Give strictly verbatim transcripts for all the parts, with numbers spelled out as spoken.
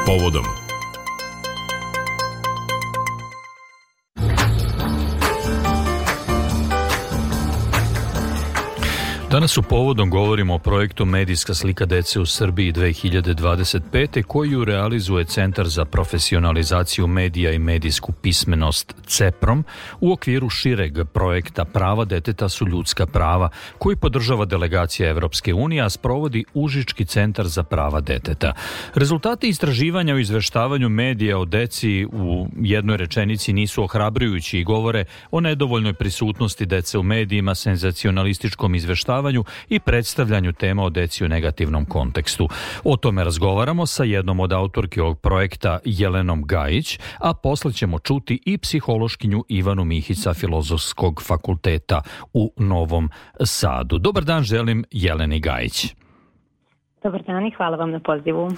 Povodom. Danas u Povodom govorimo o projektu Medijska slika dece u Srbiji dve hiljade dvadeset pete koju realizuje Centar za profesionalizaciju medija i medijsku pismenost CEPROM u okviru šireg projekta Prava deteta su ljudska prava koji podržava delegacija Evropske unije, a sprovodi Užički centar za prava deteta. Rezultati istraživanja o izveštavanju medija o deci u jednoj rečenici nisu ohrabrujući i govore o nedovoljnoj prisutnosti dece u medijima, senzacionalističkom izveštavanju i predstavljanju tema o deci u negativnom kontekstu. O tome razgovaramo sa jednom od autorki ovog projekta, Jelenom Gajić, a posle ćemo čuti i psihološkinju Ivanu Mihić sa Filozofskog fakulteta u Novom Sadu. Dobar dan želim Jeleni Gajić. Dobar dan i hvala vam na pozivu.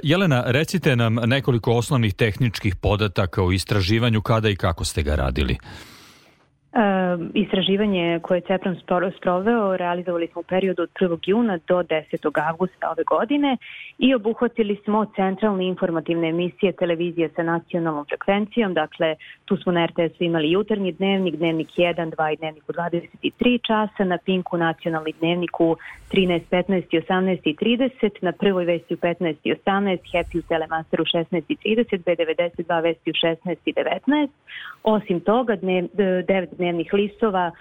Jelena, recite nam nekoliko osnovnih tehničkih podataka o istraživanju, kada i kako ste ga radili. E, istraživanje koje je CEPROM sproveo realizovali smo u periodu od prvog juna do desetog avgusta ove godine i obuhvatili smo centralne informativne emisije televizije sa nacionalnom frekvencijom. Dakle, tu smo na er te esu imali jutarnji dnevnik, dnevnik jedan, dva i dnevnik u dvadeset tri časa, na Pinku nacionalni dnevnik u trinaest, petnaest i osamnaest i trideset, na Prvoj vesti u petnaest i osamnaest, Happy u Telemasteru u šesnaest i trideset, be devedeset dva vesti u šesnaest i devetnaest. Osim toga, dnev, devet dnevnih listova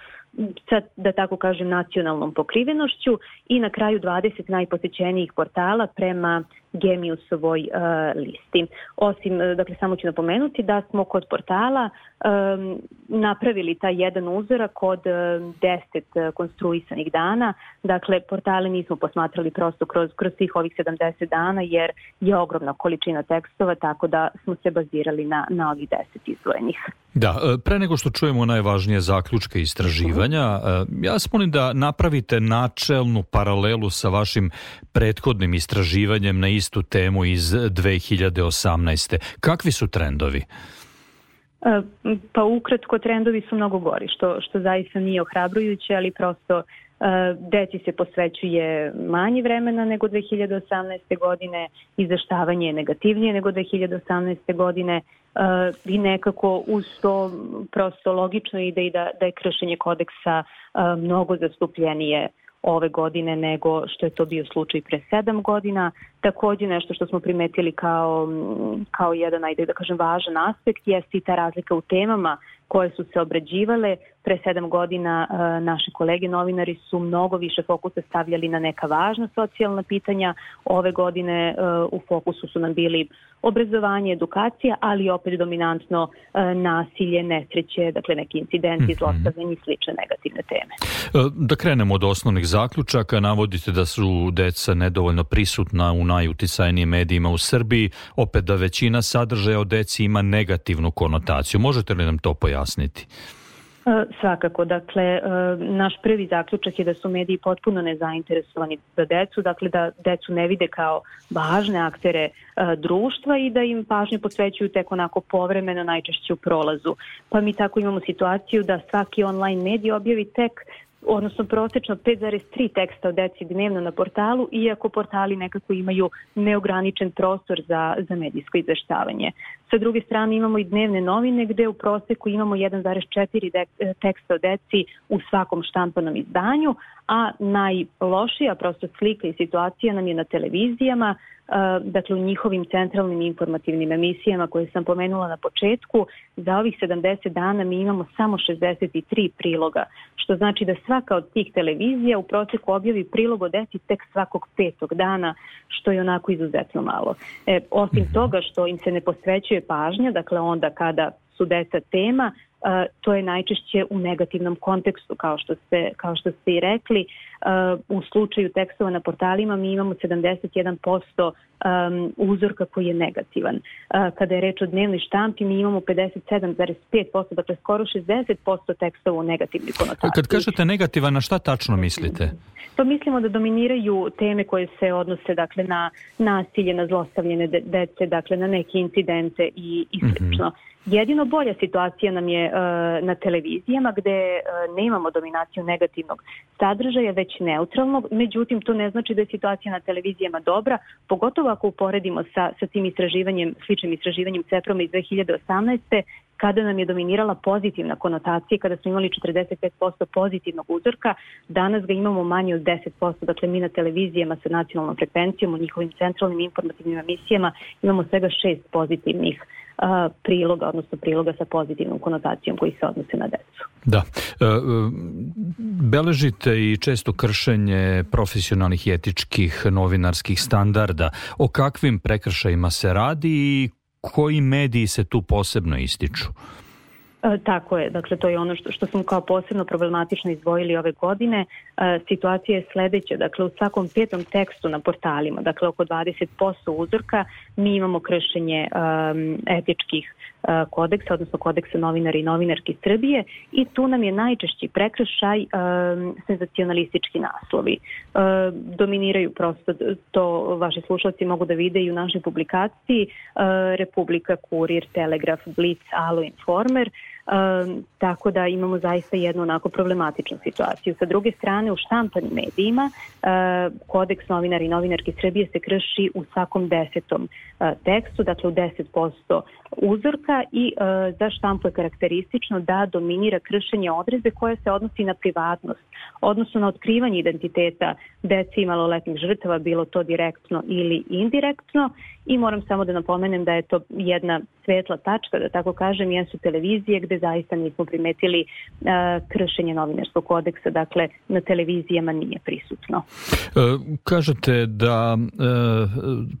sa, da tako kažem, nacionalnom pokrivenošću i na kraju dvadeset najposećenijih portala prema Geniusovoj uh, listi. Osim, dakle, samo ću napomenuti da smo kod portala um, napravili taj jedan uzorak od um, deset konstruisanih dana. Dakle, portale nismo posmatrali prosto kroz, kroz svih ovih sedamdeset dana jer je ogromna količina tekstova, tako da smo se bazirali na, na ovih deset izdvojenih. Da, pre nego što čujemo najvažnije zaključke istraživanja, ja vas molim da napravite načelnu paralelu sa vašim prethodnim istraživanjem na istu temu iz dve hiljade osamnaeste. Kakvi su trendovi? Pa ukratko, trendovi su mnogo gori, što, što zaista nije ohrabrujuće, ali prosto deci se posvećuje manje vremena nego dve hiljade osamnaeste godine, izveštavanje je negativnije nego dve hiljade osamnaeste godine i nekako uz to prosto logično ide i da, da je kršenje kodeksa mnogo zastupljenije ove godine nego što je to bio slučaj pre sedam godina. Također nešto što smo primetili kao, kao jedan, ajde da kažem, važan aspekt jeste i ta razlika u temama koje su se obrađivale. Pre sedam godina uh, naši kolege novinari su mnogo više fokusa stavljali na neka važna socijalna pitanja. Ove godine uh, u fokusu su nam bili obrazovanje, edukacija, ali opet dominantno uh, nasilje, nesreće, dakle neki incidenti, mm-hmm. zlostavljanje i slične negativne teme. Da krenemo od osnovnih zaključaka. Navodite da su deca nedovoljno prisutna u najuticajnijim medijima u Srbiji, opet da većina sadržaja o deci ima negativnu konotaciju. Možete li nam to pojasniti? Svakako, dakle, naš prvi zaključak je da su mediji potpuno nezainteresovani za decu, dakle da decu ne vide kao važne aktere društva i da im pažnju posvećuju tek onako povremeno, najčešće u prolazu. Pa mi tako imamo situaciju da svaki online medij objavi tek odnosno prosečno pet zarez tri teksta o deci dnevno na portalu, iako portali nekako imaju neograničen prostor za, za medijsko izveštavanje. Sa druge strane imamo i dnevne novine gde u proseku imamo jedan zarez četiri de- teksta o deci u svakom štampanom izdanju, a najlošija prosto slika i situacija nam je na televizijama, dakle u njihovim centralnim informativnim emisijama koje sam pomenula na početku. Za ovih sedamdeset dana mi imamo samo šezdeset tri priloga, što znači da svaka od tih televizija u proseku objavi prilog o deci tek svakog petog dana, što je onako izuzetno malo. E, osim toga što im se ne posvećuje pažnja, dakle onda kada su deca tema, Uh, to je najčešće u negativnom kontekstu, kao što ste, kao što ste i rekli. Uh, u slučaju tekstova na portalima mi imamo sedamdeset jedan posto um, uzorka koji je negativan. Uh, kada je reč o dnevnoj štampi, mi imamo pedeset sedam zarez pet posto, dakle skoro šezdeset posto tekstova u negativnoj konotaciji. Kad kažete negativan, na šta tačno mislite? To mislimo da dominiraju teme koje se odnose, dakle, na nasilje, na zlostavljene de- dece, dakle na neke incidente i, i slično. Mm-hmm. Jedino bolja situacija nam je uh, na televizijama gde uh, nemamo dominaciju negativnog sadržaja, već reći neutralno, međutim to ne znači da je situacija na televizijama dobra, pogotovo ako uporedimo sa, sa tim istraživanjem, sličnim istraživanjem CEPROM-a iz dve hiljade osamnaeste. kada nam je dominirala pozitivna konotacija, kada smo imali četrdeset pet posto pozitivnog uzorka, danas ga imamo manje od deset posto, dakle mi na televizijama sa nacionalnom frekvencijom, u njihovim centralnim informativnim emisijama imamo svega šest pozitivnih a, priloga, odnosno priloga sa pozitivnom konotacijom koji se odnose na decu. Da. E, beležite i često kršenje profesionalnih i etičkih novinarskih standarda. O kakvim prekršajima se radi i koji mediji se tu posebno ističu? E, tako je, dakle to je ono što, što smo kao posebno problematično izdvojili ove godine. E, situacija je sledeća, dakle u svakom petom tekstu na portalima, dakle oko dvadeset posto uzorka, mi imamo kršenje um, etičkih uh, kodeksa, odnosno kodeksa novinara i novinarki Srbije, i tu nam je najčešći prekršaj um, senzacionalistički naslovi. Uh, dominiraju prosto, to vaši slušalci mogu da vide i u našoj publikaciji, uh, Republika, Kurir, Telegraf, Blic, Alo, Informer. Um, tako da imamo zaista jednu onako problematičnu situaciju. Sa druge strane, u štampanim medijima uh, kodeks novinara i novinarki Srbije se krši u svakom desetom uh, tekstu, dakle u deset posto uzorka, i uh, za štampu je karakteristično da dominira kršenje odredbe koje se odnosi na privatnost, odnosno na otkrivanje identiteta dece i maloletnih žrtava, bilo to direktno ili indirektno. I moram samo da napomenem da je to jedna svetla tačka, da tako kažem, jesu televizije gde zaista nismo primetili uh, kršenje novinarskog kodeksa, dakle na televizijama nije prisutno. E, kažete da e,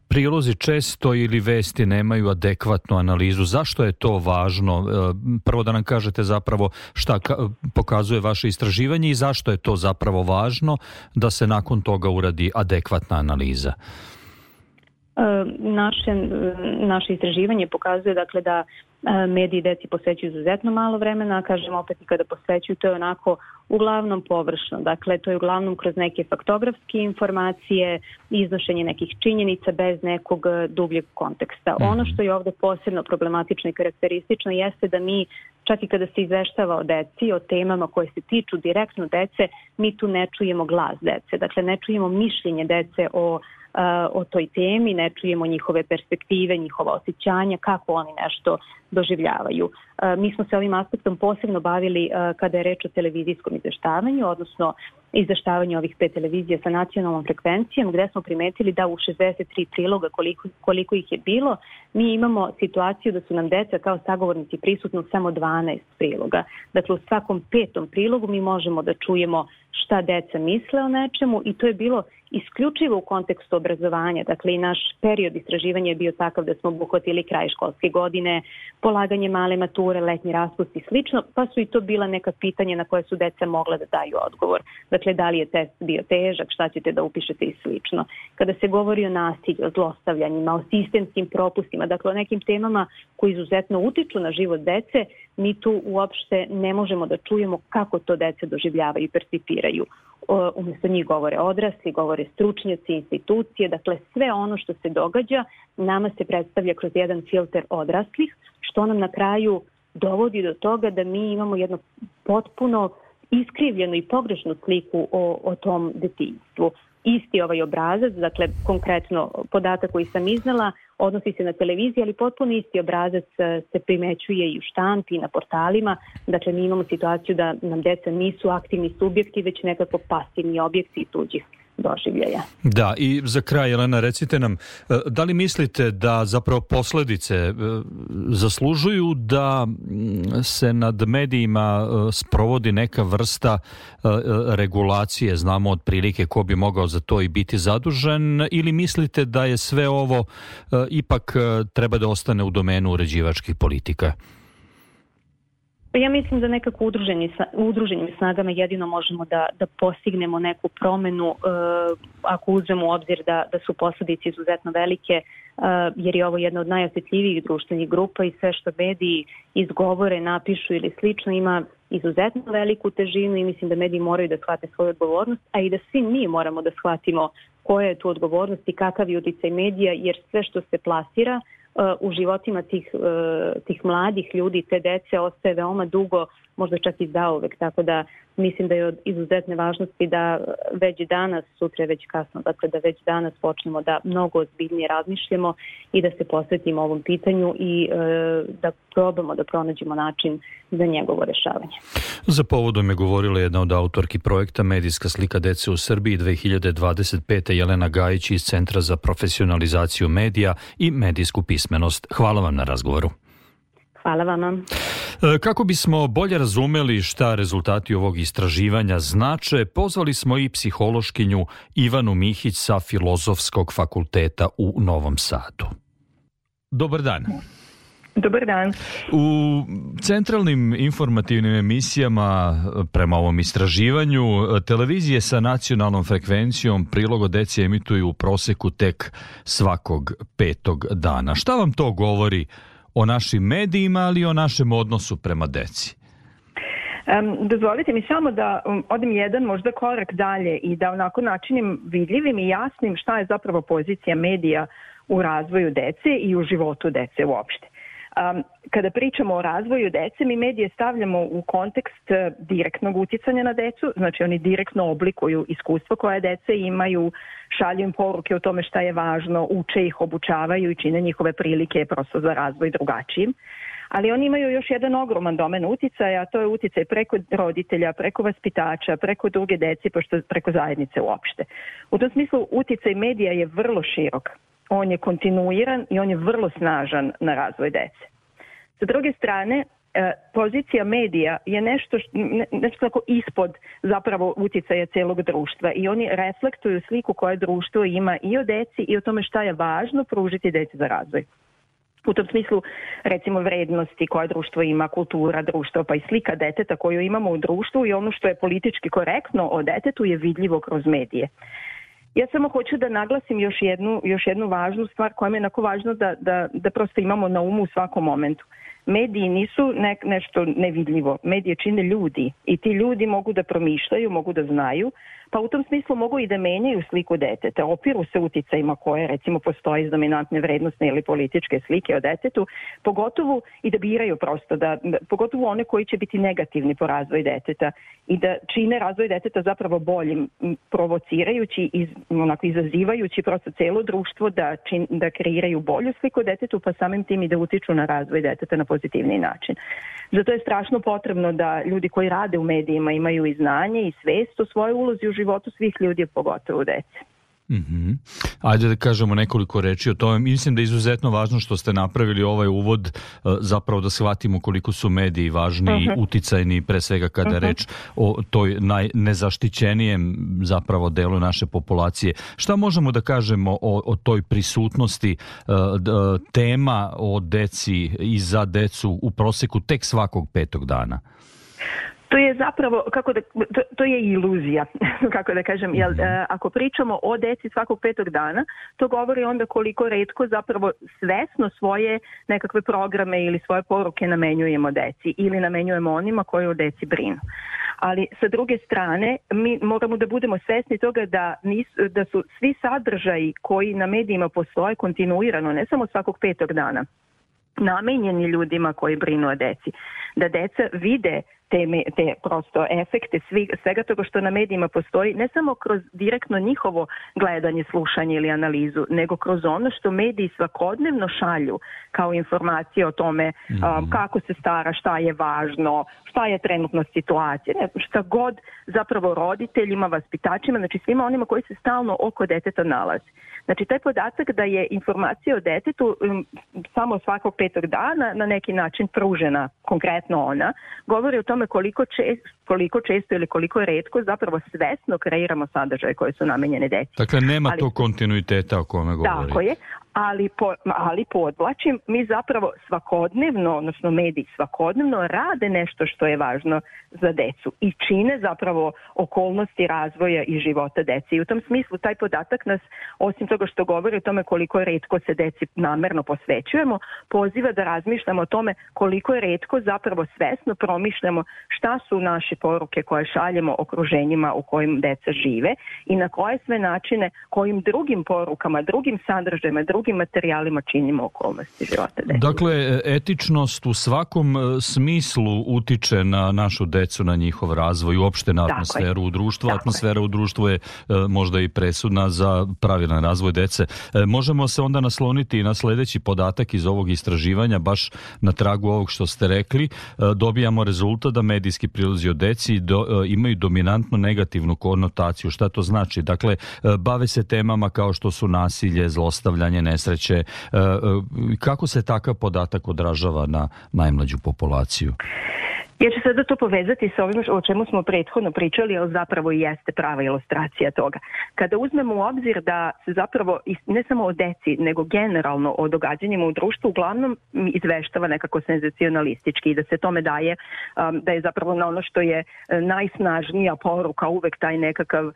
prilozi često ili vesti nemaju adekvatnu analizu. Zašto je to važno? E, prvo da nam kažete zapravo šta ka, pokazuje vaše istraživanje i zašto je to zapravo važno da se nakon toga uradi adekvatna analiza? Naše, naše istraživanje pokazuje dakle da mediji deci posvećuju izuzetno malo vremena, kažem opet i kada posvećuju, to je onako uglavnom površno, dakle to je uglavnom kroz neke faktografske informacije, iznošenje nekih činjenica bez nekog dubljeg konteksta. Mm. Ono što je ovde posebno problematično i karakteristično jeste da mi, čak i kada se izveštava o deci, o temama koje se tiču direktno dece, mi tu ne čujemo glas dece, dakle ne čujemo mišljenje dece o o toj temi, ne čujemo njihove perspektive, njihova osjećanja, kako oni nešto doživljavaju. Mi smo se ovim aspektom posebno bavili kada je reč o televizijskom izveštavanju, odnosno izveštavanju ovih pet televizija sa nacionalnom frekvencijom, gde smo primetili da u šezdeset tri priloga, koliko, koliko ih je bilo, mi imamo situaciju da su nam deca kao sagovornici prisutni u samo dvanaest priloga. Dakle, u svakom petom prilogu mi možemo da čujemo šta deca misle o nečemu, i to je bilo isključivo u kontekstu obrazovanja. Dakle, i naš period istraživanja je bio takav da smo obuhvatili kraj školske godine, polaganje male mature, letnji raspust i slično, pa su i to bila neka pitanja na koje su deca mogla da daju odgovor. Dakle, da li je test bio težak, šta ćete da upišete i slično. Kada se govori o nasilju, o zlostavljanjima, o sistemskim propustima, dakle o nekim temama koji izuzetno utiču na život dece, mi tu uopšte ne možemo da čujemo kako to deca doživljavaju i percipiraju. Umjesto njih govore odrasli, govore stručnjaci, institucije, dakle sve ono što se događa nama se predstavlja kroz jedan filter odraslih, što nam na kraju dovodi do toga da mi imamo jedno potpuno iskrivljenu i pogrešnu sliku o, o tom detinjstvu. Isti ovaj obrazac, dakle konkretno podatak koji sam iznala, odnosi se na televiziji, ali potpuno isti obrazac se primećuje i u štampi i na portalima. Dakle, mi imamo situaciju da nam deca nisu aktivni subjekti, već nekako pasivni objekti tuđih doživljaja. Da, i za kraj, Jelena, recite nam, da li mislite da zapravo posledice zaslužuju da se nad medijima sprovodi neka vrsta regulacije, znamo otprilike ko bi mogao za to i biti zadužen, ili mislite da je sve ovo ipak treba da ostane u domenu uređivačkih politika? Ja mislim da nekako udruženim snagama jedino možemo da, da postignemo neku promenu uh, ako uzmemo u obzir da, da su posledice izuzetno velike, uh, jer je ovo jedna od najosjetljivijih društvenih grupa i sve što mediji izgovore, napišu ili slično ima izuzetno veliku težinu, i mislim da mediji moraju da shvate svoju odgovornost, a i da svi mi moramo da shvatimo koja je tu odgovornost i kakav je uticaj medija, jer sve što se plasira u životima tih, tih mladih ljudi, te dece, ostaje veoma dugo, možda čak i zauvek, tako da mislim da je od izuzetne važnosti da već danas, sutra je već kasno, dakle da već danas počnemo da mnogo ozbiljnije razmišljamo i da se posvetimo ovom pitanju i e, da probamo da pronađemo način za njegovo rešavanje. Za povodom je govorila jedna od autorki projekta Medijska slika dece u Srbiji dve hiljade dvadeset pete. Jelena Gajić iz Centra za profesionalizaciju medija i medijsku pismenost. Hvala vam na razgovoru. Hvala vama. Kako bismo bolje razumeli šta rezultati ovog istraživanja znače, pozvali smo i psihološkinju Ivanu Mihić sa Filozofskog fakulteta u Novom Sadu. Dobar dan. Dobar dan. U centralnim informativnim emisijama prema ovom istraživanju televizije sa nacionalnom frekvencijom prilog o deci emituju u proseku tek svakog petog dana. Šta vam to govori o našim medijima, ali i o našem odnosu prema deci? Um, dozvolite mi samo da um, odem jedan možda korak dalje i da onako načinim vidljivim i jasnim šta je zapravo pozicija medija u razvoju dece i u životu dece uopšte. Um, kada pričamo o razvoju dece, mi medije stavljamo u kontekst uh, direktnog uticanja na decu, znači oni direktno oblikuju iskustva koje dece imaju, šalju im poruke o tome šta je važno, uče ih, obučavaju i čine njihove prilike prosto za razvoj drugačijim. Ali oni imaju još jedan ogroman domen uticaja, a to je uticaj preko roditelja, preko vaspitača, preko druge dece, pošto preko zajednice uopšte. U tom smislu uticaj medija je vrlo širok. On je kontinuiran i on je vrlo snažan na razvoj dece. Sa druge strane, pozicija medija je nešto, nešto tako ispod zapravo uticaja celog društva i oni reflektuju sliku koje društvo ima i o deci i o tome šta je važno pružiti deci za razvoj. U tom smislu, recimo, vrednosti koje društvo ima, kultura društva, pa i slika deteta koju imamo u društvu i ono što je politički korektno o detetu je vidljivo kroz medije. Ja samo hoću da naglasim još jednu, još jednu važnu stvar koja mi je onako važno da, da, da prosto imamo na umu u svakom momentu. Mediji nisu ne, nešto nevidljivo. Medije čine ljudi i ti ljudi mogu da promišljaju, mogu da znaju, pa u tom smislu mogu i da menjaju sliku deteta, opiru se uticajima koje recimo postoje iz dominantne vrednostne ili političke slike o detetu, pogotovo i da biraju prosto, da, da, pogotovo one koji će biti negativni po razvoju deteta i da čine razvoj deteta zapravo boljim, provocirajući, iz, onako izazivajući prosto celo društvo da, čin, da kreiraju bolju sliku detetu, pa samim tim i da utiču na razvoj deteta na pozitivni način. Zato je strašno potrebno da ljudi koji rade u medijima imaju i znanje i svest o svojoj ulozi u životu svih ljudi, pogotovo dece. Mm-hmm. Ajde da kažemo nekoliko reči o tome. Mislim da je izuzetno važno što ste napravili ovaj uvod, zapravo da shvatimo koliko su mediji važni i uh-huh. uticajni, pre svega kada je uh-huh. reč o toj najnezaštićenijem zapravo delu naše populacije. Šta možemo da kažemo o, o toj prisutnosti uh, tema o deci i za decu u proseku tek svakog petog dana? To je zapravo, kako da, to, to je iluzija, kako da kažem, jer ako pričamo o deci svakog petog dana, to govori onda koliko retko zapravo svesno svoje nekakve programe ili svoje poruke namenjujemo deci ili namenjujemo onima koji o deci brinu. Ali sa druge strane, mi moramo da budemo svesni toga da, nis, da su svi sadržaji koji na medijima postoje kontinuirano, ne samo svakog petog dana, namenjeni ljudima koji brinu o deci. Da deca vide te, te prosto efekte svi, svega toga što na medijima postoji, ne samo kroz direktno njihovo gledanje, slušanje ili analizu, nego kroz ono što mediji svakodnevno šalju kao informacije o tome mm-hmm. um, kako se stara, šta je važno, šta je trenutna situacija, ne, šta god zapravo roditeljima, vaspitačima, znači svima onima koji se stalno oko deteta nalazi. Znači taj podatak da je informacija o detetu um, samo svakog petog dana na neki način pružena, konkretno ona, govori o tome koliko često, koliko često ili koliko retko zapravo svesno kreiramo sadržaje koje su namenjene deci. Dakle, nema ali, tog kontinuiteta o kome govorite. Tako je, ali, po, ali podvlačim, mi zapravo svakodnevno, odnosno mediji svakodnevno rade nešto što je važno za decu i čine zapravo okolnosti razvoja i života deci. I u tom smislu taj podatak nas, osim toga što govori o tome koliko retko se deci namerno posvećujemo, poziva da razmišljamo o tome koliko je retko zapravo svesno promišljamo šta su naše poruke koje šaljemo okruženjima u kojim deca žive i na koje sve načine, kojim drugim porukama, drugim sadržajima, drugim drugim materijalima činimo okolnosti života dece. Dakle, etičnost u svakom smislu utiče na našu decu, na njihov razvoj, uopšte na atmosferu u društvu. Tako Atmosfera je. u društvu je možda i presudna za pravilan razvoj dece. Možemo se onda nasloniti i na sledeći podatak iz ovog istraživanja, baš na tragu ovog što ste rekli. Dobijamo rezultat da medijski prilozi o deci do, imaju dominantno negativnu konotaciju. Šta to znači? Dakle, bave se temama kao što su nasilje, zlostavljanje, nesreće. Kako se takav podatak odražava na najmlađu populaciju? Ja ću sada to povezati sa ovim o čemu smo prethodno pričali, ali zapravo i jeste prava ilustracija toga. Kada uzmemo u obzir da se zapravo ne samo o deci, nego generalno o događanjima u društvu uglavnom izveštava nekako senzacionalistički i da se tome daje, da je zapravo na ono što je najsnažnija poruka uvek taj nekakav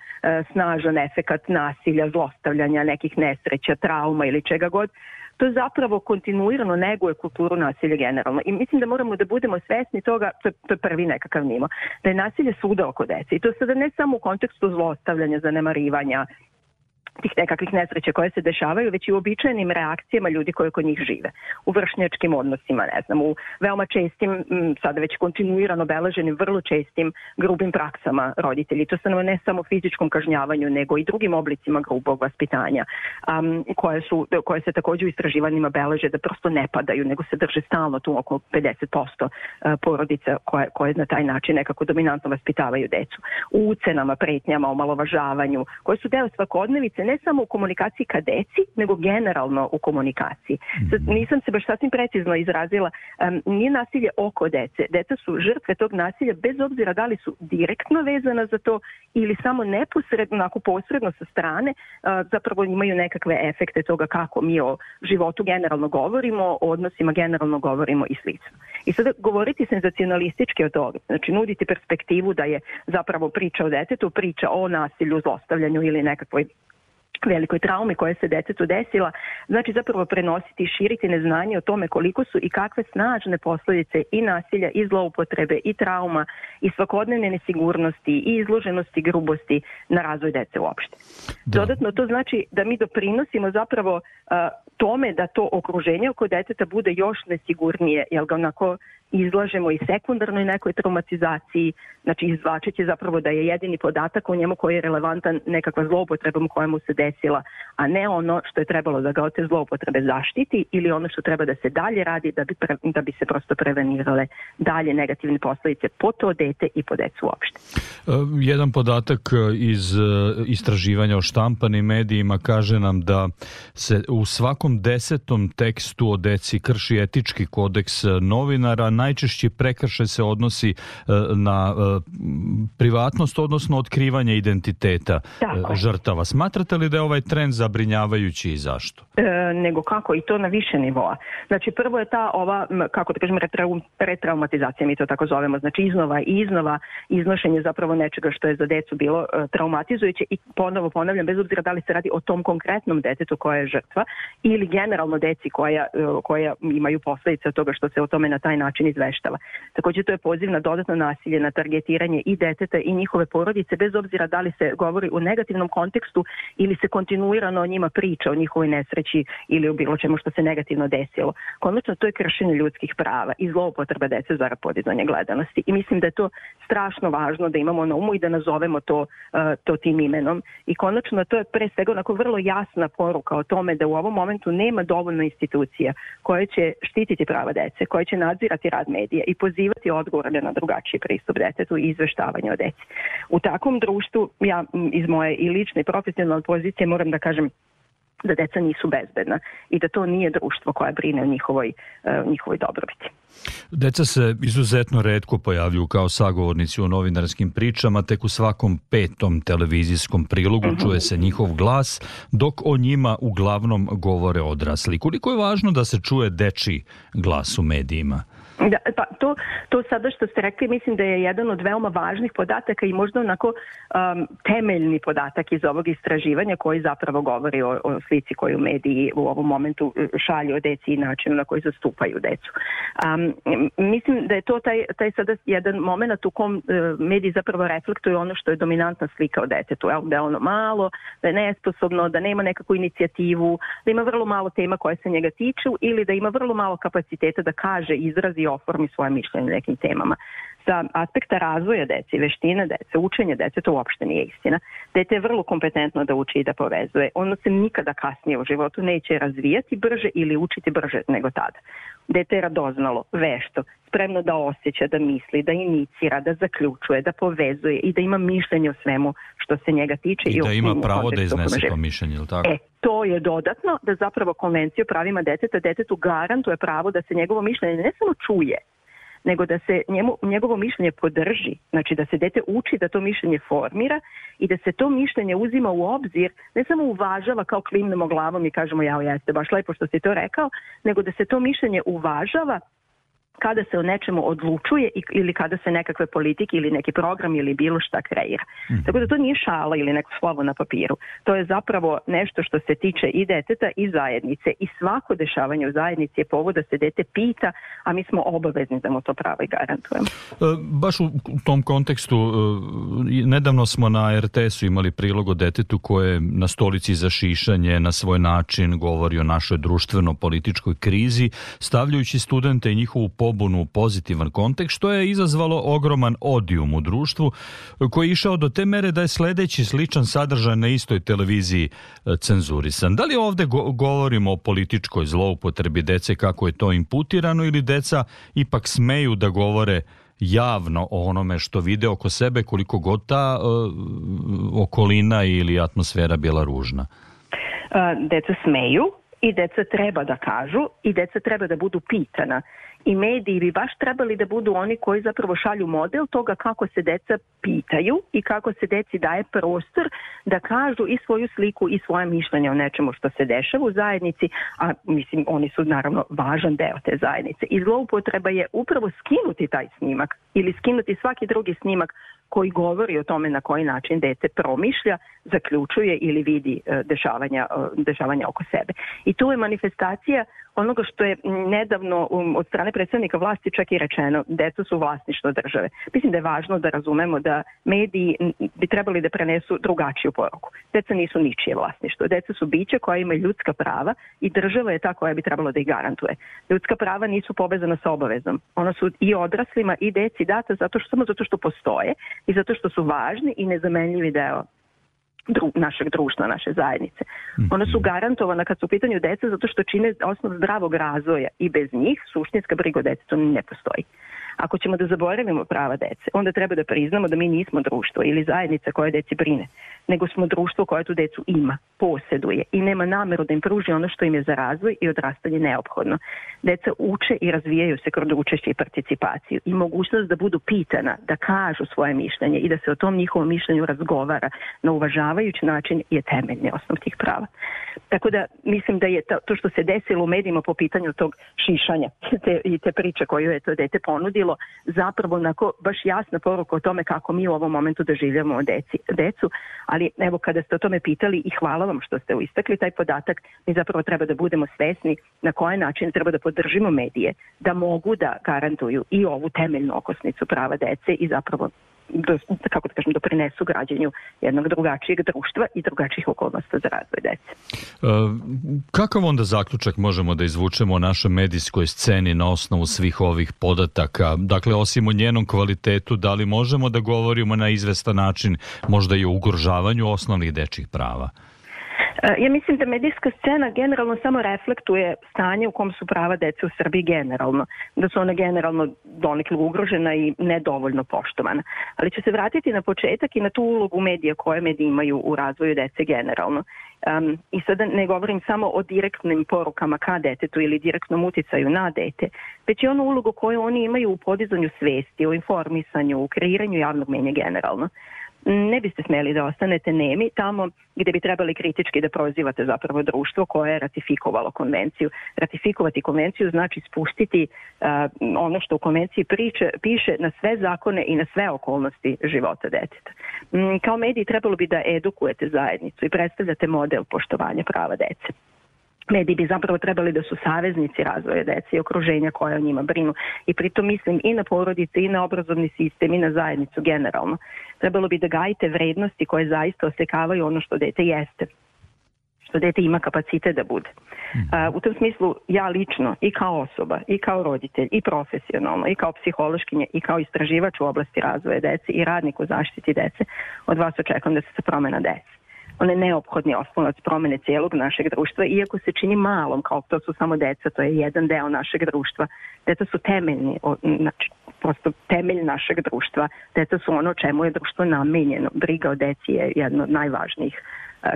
snažan efekat nasilja, zlostavljanja, nekih nesreća, trauma ili čega god. To zapravo kontinuirano neguje kulturu nasilja generalno. I mislim da moramo da budemo svesni toga, to je, to je prvi nekakav nivo, da je nasilje svuda oko dece. I to sada ne samo u kontekstu zlostavljanja, zanemarivanja, tih nekakvih nesreća koje se dešavaju, već i u običajnim reakcijama ljudi koji kod njih žive. U vršnjačkim odnosima, ne znam, u veoma čestim, sada već kontinuirano beleženim, vrlo čestim grubim praksama roditelji. To se ne samo fizičkom kažnjavanju, nego i drugim oblicima grubog vaspitanja, um, koje, su, koje se također u istraživanjima beleže da prosto ne padaju, nego se drže stalno tu oko pedeset posto porodica koje, koje na taj način nekako dominantno vaspitavaju decu. U ucenama, pretnjama, omalovažavanju, koje su deo svakodnevice, ne samo u komunikaciji ka deci, nego generalno u komunikaciji. Sad, nisam se baš sasvim precizno izrazila, um, nije nasilje oko dece. Deca su žrtve tog nasilja bez obzira da li su direktno vezana za to ili samo neposredno, onako posredno sa strane, uh, zapravo imaju nekakve efekte toga kako mi o životu generalno govorimo, o odnosima generalno govorimo i slično. I sada govoriti senzacionalistički o toga, znači nuditi perspektivu da je zapravo priča o detetu, priča o nasilju, zlostavljanju ili nekakvoj velikoj traumi koja se detetu desila, znači zapravo prenositi i širiti neznanje o tome koliko su i kakve snažne posljedice i nasilja i zloupotrebe i trauma i svakodnevne nesigurnosti i izloženosti grubosti na razvoj dece uopšte. Da. Dodatno to znači da mi doprinosimo zapravo uh, tome da to okruženje oko deteta bude još nesigurnije, jer ga onako izlažemo i sekundarnoj nekoj traumatizaciji, znači izvlačeći zapravo da je jedini podatak o njemu koji je relevantan nekakva zloupotrebom koja mu se desila, a ne ono što je trebalo da ga od te zloupotrebe zaštiti ili ono što treba da se dalje radi da bi, pre, da bi se prosto prevenirale dalje negativne posljedice po to dete i po decu uopšte. Jedan podatak iz istraživanja o štampanim medijima kaže nam da se u svakom desetom tekstu o deci krši etički kodeks novinara. Najčešće prekršaj se odnosi na privatnost, odnosno otkrivanje identiteta Tako. žrtava. Smatrate li da je ovaj trend zabrinjavajući i zašto? E, nego kako, i to na više nivoa. Znači prvo je ta ova, kako da kažem, retrau, retraumatizacija, mi to tako zovemo, znači iznova i iznova iznošenje zapravo nečega što je za decu bilo e, traumatizujuće i ponovo ponavljam, bez obzira da li se radi o tom konkretnom detetu koja je žrtva ili generalno deci koja, e, koja imaju posljedice od toga što se o tome na taj način izveštava. Također to je poziv na dodatno nasilje, na targetiranje i deteta i njihove porodice, bez obzira da li se govori u negativnom kontekstu ili se kontinuirano o njima priča, o njihovoj nesreći ili o bilo čemu što se negativno desilo. Konačno to je kršenje ljudskih prava i zloupotreba dece zarad podizanja gledanosti. I mislim da je to strašno važno da imamo na umu i da nazovemo to, uh, to tim imenom. I konačno to je pre svega onako vrlo jasna poruka o tome da u ovom momentu nema dovoljno institucija koje će štititi prava dece, koje će nadzirati rad medija i pozivati odgovorne na drugačiji pristup detetu i izveštavanje o deci. U takvom društvu, ja iz moje i lične i profesionalne pozicije moram da kažem da deca nisu bezbedna i da to nije društvo koja brine o njihovoj, uh, njihovoj dobrobiti. Deca se izuzetno retko pojavljuju kao sagovornici u novinarskim pričama, tek u svakom petom televizijskom prilogu uh-huh. čuje se njihov glas, dok o njima uglavnom govore odrasli. Koliko je važno da se čuje dečiji glas u medijima? Da, pa to, to sada što ste rekli mislim da je jedan od veoma važnih podataka i možda onako um, temeljni podatak iz ovog istraživanja koji zapravo govori o, o slici koju mediji u ovom momentu šalju o deci i načinu na koji zastupaju decu. Um, mislim da je to taj, taj sada jedan moment u kom uh, mediji zapravo reflektuju ono što je dominantna slika o detetu, da je ono malo, da je nesposobno, da nema nekakvu inicijativu, da ima vrlo malo tema koje se njega tiču ili da ima vrlo malo kapaciteta da kaže, izrazi, oformi svoje mišljenje nekim temama. Sa aspekta razvoja dece, veštine dece, učenja dece, to uopšte nije istina. Dete je vrlo kompetentno da uči i da povezuje. Ono se nikada kasnije u životu neće razvijati brže ili učiti brže nego tada. Dete je radoznalo, vešto, spremno da osjeća, da misli, da inicira, da zaključuje, da povezuje i da ima mišljenje o svemu što se njega tiče. I, i da ima pravo da iznese to mišljenje, ili tako? E, to je dodatno da zapravo Konvencija o pravima deteta detetu garantuje pravo da se njegovo mišljenje ne samo čuje, nego da se njemu, njegovo mišljenje podrži, znači da se dete uči da to mišljenje formira i da se to mišljenje uzima u obzir, ne samo uvažava kao klimnemo glavom i kažemo jao jeste baš lepo što si to rekao, nego da se to mišljenje uvažava kada se o nečemu odlučuje ili kada se nekakve politike ili neki program ili bilo šta kreira. Mm. Tako da to nije šala ili neko slovo na papiru. To je zapravo nešto što se tiče i deteta i zajednice i svako dešavanje u zajednici je povod da se dete pita, a mi smo obavezni da mu to pravo i garantujemo. E, baš u tom kontekstu, e, nedavno smo na er te esu imali prilog o detetu koje na stolici za šišanje na svoj način govori o našoj društveno-političkoj krizi, stavljajući studente i njihovu pobunu u pozitivan kontekst, što je izazvalo ogroman odijum u društvu, koji je išao do te mere da je sledeći sličan sadržaj na istoj televiziji cenzurisan. Da li ovde go- govorimo o političkoj zloupotrebi dece kako je to imputirano ili deca ipak smeju da govore javno o onome što vide oko sebe koliko god ta uh, okolina ili atmosfera bila ružna? Uh, deca smeju i deca treba da kažu i deca treba da budu pitana. I mediji bi baš trebali da budu oni koji zapravo šalju model toga kako se deca pitaju i kako se deci daje prostor da kažu i svoju sliku i svoje mišljenje o nečemu što se dešava u zajednici, a mislim oni su naravno važan deo te zajednice. I zloupotreba je upravo skinuti taj snimak ili skinuti svaki drugi snimak koji govori o tome na koji način dete promišlja, zaključuje ili vidi dešavanja, dešavanja oko sebe. I tu je manifestacija onoga što je nedavno od strane predstavnika vlasti čak i rečeno, deca su vlasništvo države. Mislim da je važno da razumemo da mediji bi trebali da prenesu drugačiju poruku. Deca nisu ničije vlasništvo. Deca su bića koja imaju ljudska prava i država je ta koja bi trebalo da ih garantuje. Ljudska prava nisu povezana sa obavezom. Ona su i odraslima i deci data zato što, samo zato što postoje i zato što su važni i nezamenljivi deo Dru, našeg društva, naše zajednice. Ona su garantovana kad su u pitanju deca zato što čine osnov zdravog razvoja i bez njih suštinska briga o detetu ne postoji. Ako ćemo da zaboravimo prava dece, onda treba da priznamo da mi nismo društvo ili zajednica koja deci brine, nego smo društvo koje tu decu ima, posjeduje i nema nameru da im pruži ono što im je za razvoj i odrastanje neophodno. Deca uče i razvijaju se kroz učešće i participaciju i mogućnost da budu pitana, da kažu svoje mišljenje i da se o tom njihovom mišljenju razgovara na uvažavajući način je temeljni osnov tih prava. Tako da mislim da je to što se desilo u medijima po pitanju tog šišanja te, i te priče koju je to dete ponudilo, zapravo onako baš jasna poruka o tome kako mi u ovom momentu doživljamo deci, decu, ali evo kada ste o tome pitali i hvala vam što ste istakli taj podatak, mi zapravo treba da budemo svesni na koji način treba da podržimo medije, da mogu da garantuju i ovu temeljnu okosnicu prava dece i zapravo do, kako da kažem, doprinesu građenju jednog drugačijeg društva i drugačijih okolnosti za razvoj dece. E, kakav onda zaključak možemo da izvučemo o našoj medijskoj sceni na osnovu svih ovih podataka? Dakle, osim o njenom kvalitetu, da li možemo da govorimo na izvestan način možda i o ugrožavanju osnovnih dečjih prava? Ja mislim da medijska scena generalno samo reflektuje stanje u kom su prava dece u Srbiji generalno, da su ona generalno donekle ugrožena i nedovoljno poštovana. Ali ću se vratiti na početak i na tu ulogu medija koje mediji imaju u razvoju dece generalno. Um, I sada ne govorim samo o direktnim porukama ka detetu ili direktnom uticaju na dete, već i onu ulogu koju oni imaju u podizanju svesti, u informisanju, u kreiranju javnog mnjenja generalno. ne biste smeli da ostanete nemi tamo gde bi trebali kritički da prozivate zapravo društvo koje je ratifikovalo konvenciju. Ratifikovati konvenciju znači spustiti uh, ono što u konvenciji priče, piše na sve zakone i na sve okolnosti života deteta. Um, kao mediji trebalo bi da edukujete zajednicu i predstavljate model poštovanja prava dece. Mediji bi zapravo trebali da su saveznici razvoja dece i okruženja koje o njima brinu. I pritom mislim i na porodice, i na obrazovni sistem, i na zajednicu generalno. Trebalo bi da gajite vrednosti koje zaista osekavaju ono što dete jeste, što dete ima kapacitet da bude. Uh, u tom smislu ja lično i kao osoba, i kao roditelj, i profesionalno, i kao psihološkinja, i kao istraživač u oblasti razvoja dece i radnik u zaštiti dece, od vas očekujem da se promena desi. On je neophodni oslonac promene cijelog našeg društva, iako se čini malom, kao to su samo deca, to je jedan deo našeg društva. Deca su temeljni, znači prosto temelj našeg društva. Deca su ono čemu je društvo namenjeno. Briga o deci je jedna od najvažnijih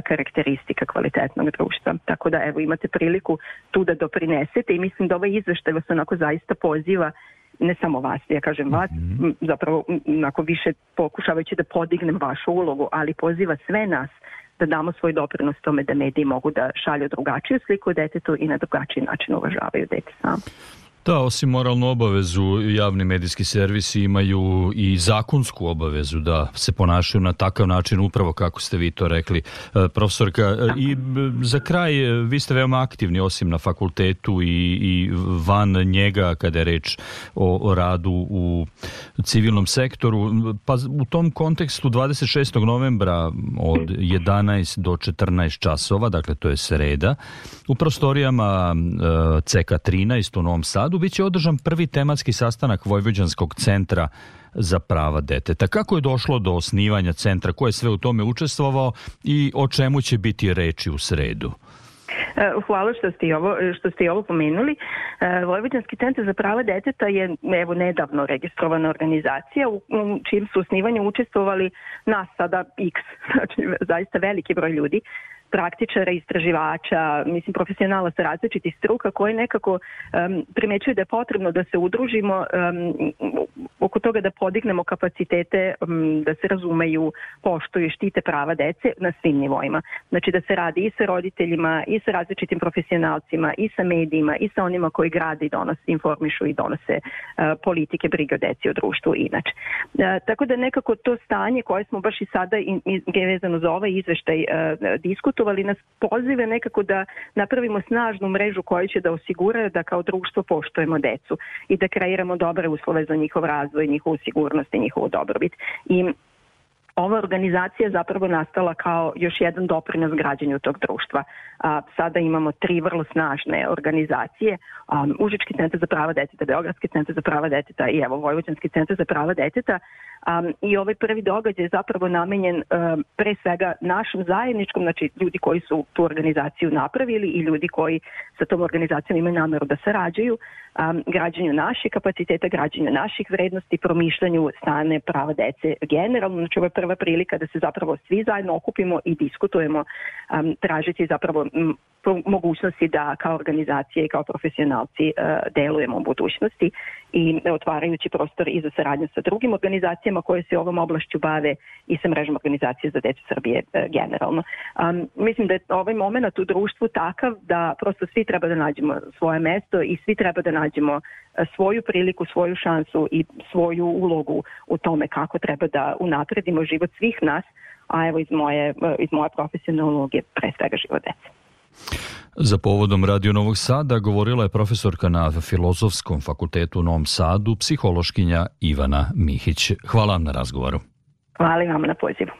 karakteristika kvalitetnog društva. Tako da evo imate priliku tu da doprinesete i mislim da ovaj izveštaj vas onako zaista poziva, ne samo vas, ja kažem vas, mm-hmm. zapravo onako više pokušavajući da podignem vašu ulogu, ali poziva sve nas da damo svoj doprinos tome da mediji mogu da šalju drugačiju sliku o detetu i na drugačiji način uvažavaju dete samo. Da, osim moralnu obavezu, javni medijski servisi imaju i zakonsku obavezu da se ponašaju na takav način, upravo kako ste vi to rekli, profesorka. I za kraj, vi ste veoma aktivni, osim na fakultetu i, i van njega, kada je reč o, o radu u civilnom sektoru. Pa u tom kontekstu dvadeset šestog novembra od jedanaest do četrnaest časova, dakle to je sreda, u prostorijama C K trinaest u Novom Sadu biće održan prvi tematski sastanak Vojvođanskog centra za prava deteta. Kako je došlo do osnivanja centra, ko je sve u tome učestvovao i o čemu će biti reči u sredu? Hvala što ste i ovo, što ste i ovo pomenuli. Vojvođanski centar za prava deteta je evo nedavno registrovana organizacija u čijem su osnivanju učestvovali nas sada X, znači zaista veliki broj ljudi, praktičara, istraživača, mislim profesionala sa različitih struka koji nekako um, primećuju da je potrebno da se udružimo um, oko toga da podignemo kapacitete, um, da se razumeju, poštuju i štite prava dece na svim nivoima. Znači da se radi i sa roditeljima, i sa različitim profesionalcima, i sa medijima, i sa onima koji grade i donose, informišu i donose uh, politike brige o deci u društvu inače. Uh, tako da nekako to stanje koje smo baš i sada i, i vezano za ovaj izveštaj uh, diskutovali, ali nas pozive nekako da napravimo snažnu mrežu koja će da osigura da kao društvo poštujemo decu i da kreiramo dobre uslove za njihov razvoj, njihovu sigurnost i njihovu dobrobit. I ova organizacija je zapravo nastala kao još jedan doprinos građanju tog društva. A, sada imamo tri vrlo snažne organizacije, a, Užički centar za prava deteta, Beogradski centar za prava deteta i evo Vojvođanski centar za prava deteta. A, I ovaj prvi događaj je zapravo namenjen a, pre svega našem zajedničkom, znači ljudi koji su tu organizaciju napravili i ljudi koji sa tom organizacijom imaju nameru da sarađuju, a, građanju naših kapaciteta, građanju naših vrednosti, promišljanju stane prava dece generalno. Znači ovo je prva prilika da se zapravo svi zajedno okupimo i diskutujemo, um, tražiti zapravo m, mogućnosti da kao organizacije i kao profesionalci uh, delujemo u budućnosti i otvarajući prostor i za saradnju sa drugim organizacijama koje se ovom oblašću bave i sa mrežom organizacije za decu Srbije uh, generalno. Um, mislim da je ovaj moment u društvu takav da prosto svi treba da nađemo svoje mesto i svi treba da nađemo uh, svoju priliku, svoju šansu i svoju ulogu u tome kako treba da unapredimo život svih nas, a evo iz moje, iz moje profesionalne uloge pre svega život dece. Za povodom Radio Novog Sada govorila je profesorka na Filozofskom fakultetu u Novom Sadu, psihološkinja Ivana Mihić. Hvala vam na razgovoru. Hvala vam na pozivu.